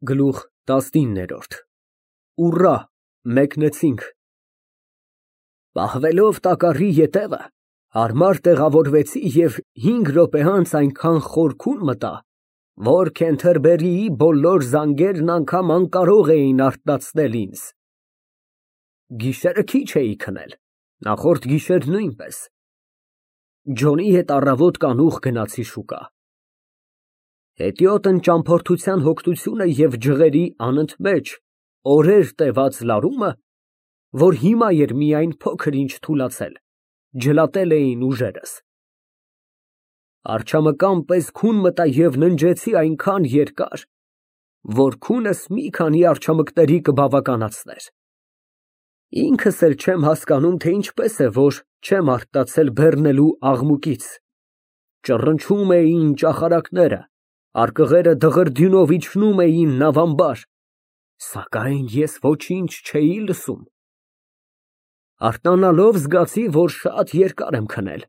Գլուխ 19 Ուռա, մեկնեցինք։ Պահվելով տակառի ետևը, հարմար տեղավորվեցի և 5 րոպե անց այնքան խորքուն մտա, որ Քենթերբերիի բոլոր զանգերն անգամ անկարող էին արթնացնել ինձ։ Գիշերը քիչ էի քնել, նախորդ գիշեր նույնպես։ Ջոնի հետ առավոտ կանուխ գնացի շուկա։ Հետիոտն ճամփորդության հոգնությունը և ջղերի անընդմեջ օրեր տևած լարումը, որ հիմա էր միայն փոքր ինչ թուլացել, ջլատել էին ուժերս։ Արջամկան պես քուն մտա և ննջեցի այնքան երկար, որ քունս մի քանի արջամկների կբավականացներ։ Ինքս էլ չեմ հասկանում, թե ինչպես է, որ չեմ արթնացել բեռնելու աղմուկից։ Ճռնչում էին ճախարակները, արկղերը դղրդյունով իջնում էին նավամբար, սակայն ես ոչինչ չէի լսում։ Արթնանալով զգացի, որ շատ երկար եմ քնել։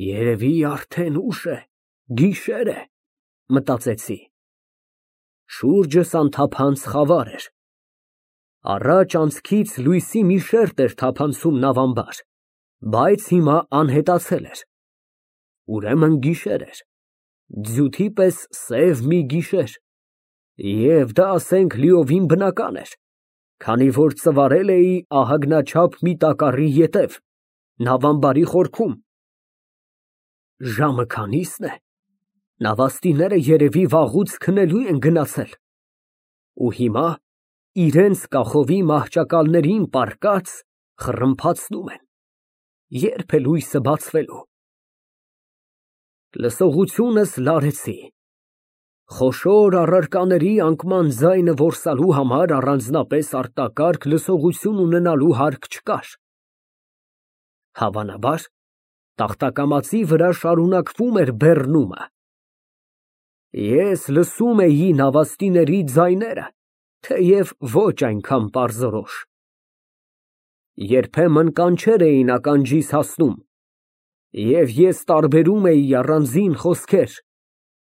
Երևի արդեն ուշ է, գիշեր է, մտածեցի։ Շուրջս անթափանց խավար էր։ Առաջ անցքից լույսի մի շերտ էր թափանցում նավամբար, բայց հիմա անհետացել էր։ Ուրեմն գիշեր էր, ձյութի պես սև մի գիշեր, և դա, ասենք, լիովին բնական էր, քանի որ ծվարել էի ահագնաչափ մի տակառի ետև, նավամբարի խորքում։ Ժամը քանի՞սն է, նավաստիները երևի վաղուց քնելու են գնացել։ Ու հիմա իրենց կախովի մահճակալներին պառկած խռմփացնում են, ե՞րբ է լույսը բացվելու։ Լսողությունս լարեցի։ Խոշոր առարկաների անկման ձայնը որսալու համար առանձնապես արտակարգ լսողություն ունենալու հարկ չկար։ Հավանաբար, տախտակամածի վրա շարունակվում էր բեռնումը։ Ես լսում էի նավաստիների ձայները, թեև ոչ այնքան պարզորոշ։ Երբեմն կանչեր էին ականջիս հասնում, և ես տարբերում էի առանձին խոսքեր.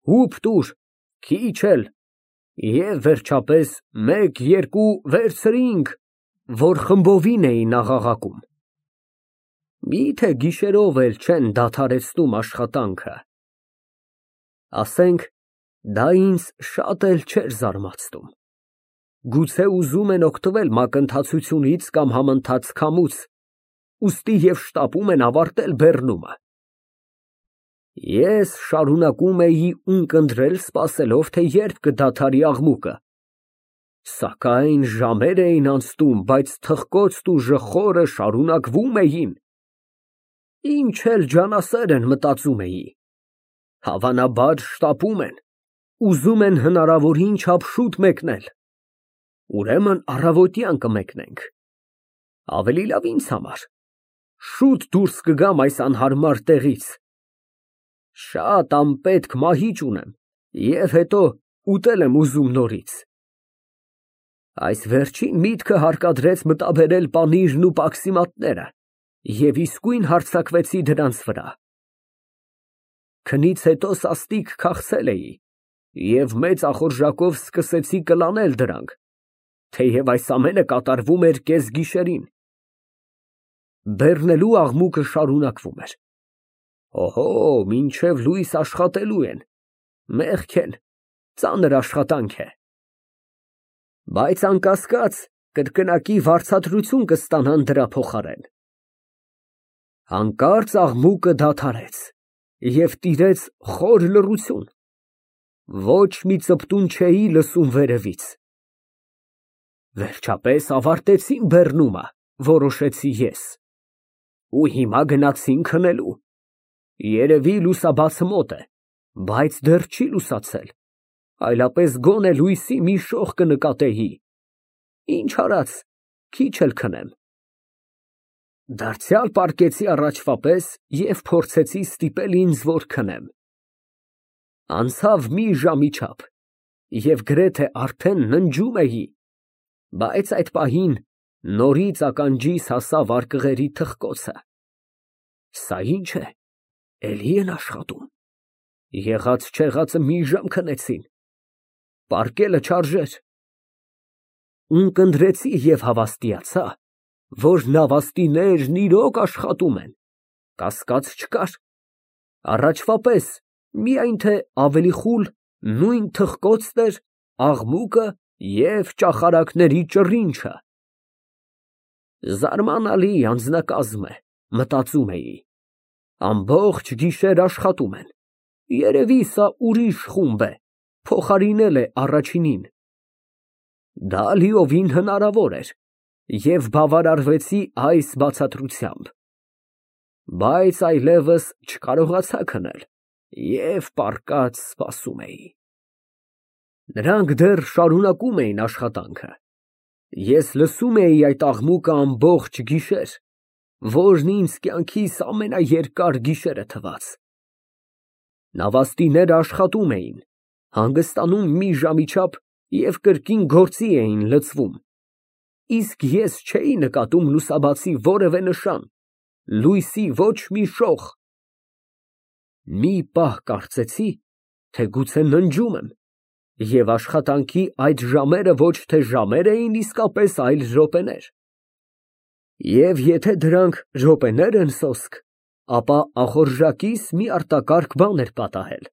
հուպ տուր, քիչ էլ, և վերջապես, մեկ, երկու, վերցրինք, որ խմբովին էին աղաղակում։ Միթե գիշերով էլ չեն դադարեցնում աշխատանքը։ Ասենք, դա ինձ շատ էլ չէր զարմացնում։ Գուցե ուզում են օգտվել մակընթացությունից կամ համընթաց քամուց, ուստի և շտապում են ավարտել բեռնումը։ Ես շարունակում էի ունկնդրել, սպասելով, թե երբ կդադարի աղմուկը, սակայն ժամեր էին անցնում, բայց թխկոցն ու ժխորը շարունակվում էին։ Ինչ էլ ջանասեր են, մտածում էի, հավանաբար շտապում են, ուզում են հնարավորին չափ շուտ մեկնել։ Ուրեմն առավոտյան կմեկնենք։ Ավելի լավ ինձ համար, շուտ դուրս կգամ այս անհարմար տեղից։ Շատ անպետք մահիճ ունեմ և հետո ուտել եմ ուզում նորից։ Այս վերջին միտքը հարկադրեց մտաբերել պանիրն ու պաքսիմատները և իսկույն հարձակվեցի դրանց վրա։ Քնից հետո սաստիկ քաղցել էի և մեծ ախորժակով սկսեցի կլանել դրանք, թեև այս ամենը կատարվում էր կեսգիշերին։ Բեռնելու աղմուկը շարունակվում էր։ Օհո, մինչև լույս աշխատելու են, մեղք են, ծանր աշխատանք է։ Բայց անկասկած, կրկնակի վարձատրություն կստանան դրա փոխարեն։ Հանկարծ աղմուկը դադարեց և տիրեց խոր լռություն, ոչ մի ծպտուն չէի լսում վերևից։ Վերջապես ավարտեցին բեռնումը, որոշեցի ես, ու հիմա գնացին քնելու։ Երևի լուսաբացը մոտ է, բայց դեռ չի լուսացել, այլապես գոնե լույսի մի շող կնկատեի։ Ինչ արած, քիչ էլ քնեմ։ Դարձյալ պառկեցի առաջվա պես և փորձեցի ստիպել ինձ, որ քնեմ։ Անցավ մի ժամի չափ, և գրեթե արդեն ննջում էի, բայց այդ պահին նորից ականջիս հասավ արկղերի թխկոցը։ Սա ի՞նչ է, էլի են աշխատում։ Եղած֊չեղածը մի ժամ քնեցին։ պառկելը չարժեր։ Ունկնդրեցի և հավաստիացա, որ նավաստիներն իրոք աշխատում են, կասկած չկար, առաջվա պես, միայն թե ավելի խուլ նույն թխկոցն էր աղմուկը և ճախարակների ճռինչը։ Զարմանալի անձնակազմ է, մտածում էի, ամբողջ գիշեր աշխատում են, երևի սա ուրիշ խումբ է, փոխարինել է առաջինին։ Դա լիովին հնարավոր էր և բավարարվեցի այս բացատրությամբ, բայց այլևս չկարողացա քնել և պառկած սպասում էի։ Նրանք դեռ շարունակում էին աշխատանքը, ես լսում էի այդ աղմուկը ամբողջ գիշեր, որն ինձ կյանքիս ամենաերկար գիշերը թվաց։ Նավաստիները աշխատում էին, հանգստանում մի ժամի չափ և կրկին գործի էին լծվում, իսկ ես չէի նկատում լուսաբացի որևէ նշան, լույսի ոչ մի շող։ Մի պահ կարծեցի, թե գուցե ննջում եմ, և աշխատանքի այդ ժամերը ոչ թե ժամեր էին իսկապես, այլ րոպեներ։ Եվ եթե դրանք րոպեներ են սոսկ, ապա ախորժակիս մի արտակարգ բան էր պատահել,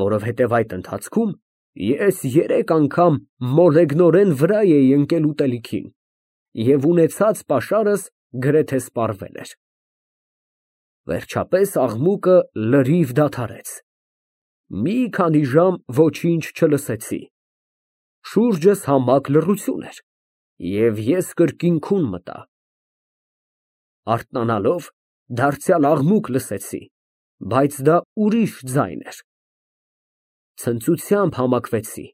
որովհետև այդ ընթացքում ես 3 անգամ մոլեգնորեն վրա էի ընկել ուտելիքին և ունեցած պաշարս գրեթե սպառվել էր։ Վերջապես աղմուկը լրիվ դադարեց։ Մի քանի ժամ ոչինչ չլսեցի, շուրջս համակ լռություն էր, և ես կրկին քուն մտա։ Արթնանալով, դարձյալ աղմուկ լսեցի, բայց դա ուրիշ ձայն էր։ Ցնծությամբ համակվեցի,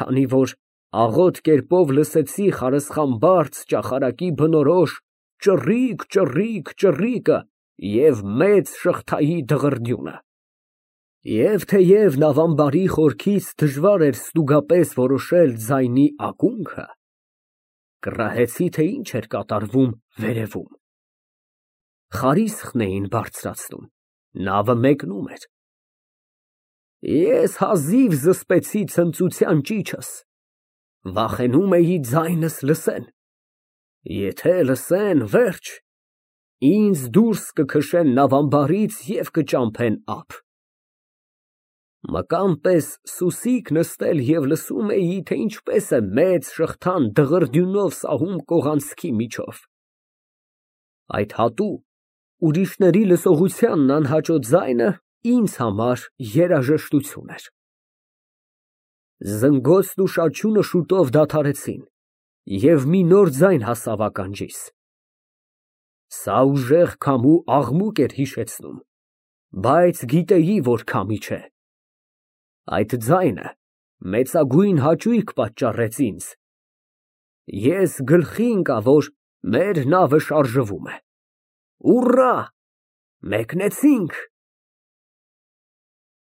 քանի որ աղոտ կերպով լսեցի խարսխամբարձ ճախարակի բնորոշ ճռիկ և մեծ շղթայի դղրդյունը։ Եվ թեև նավամբարի խորքից դժվար էր ստուգապես որոշել ձայնի ակունքը, կռահեցի, թե ինչ էր կատարվում վերևում։ Խարիսխն էին բարձրացնում, նավը մեկնում էր։ Ես հազիվ զսպեցի ցնծության ճիչս, վախենում էի ձայնս լսեն, եթե լսեն, վերջ, ինձ դուրս կքշեն նավամբարից և կճամփեն ափ։ Մկան պես սուսիկ նստել և լսում էի, թե ինչպես է մեծ շղթան դղրդյունով սահում կողանցքի միջով։ Այդ հատու, ուրիշների լսողությանն անհաճո ձայնը ինձ համար երաժշտություն էր։ Զնգոցն ու շաչյունը շուտով դադարեցին, և մի նոր ձայն հասավ ականջիս։ Սա ուժեղ քամու աղմուկ էր հիշեցնում, բայց գիտեի, որ քամի չէ։ Այդ ձայնը մեծագույն հաճույք պատճառեց ինձ։ Ես գլխի ընկա, որ մեր նավը շարժվում է։ Ուռա, մեկնեցինք։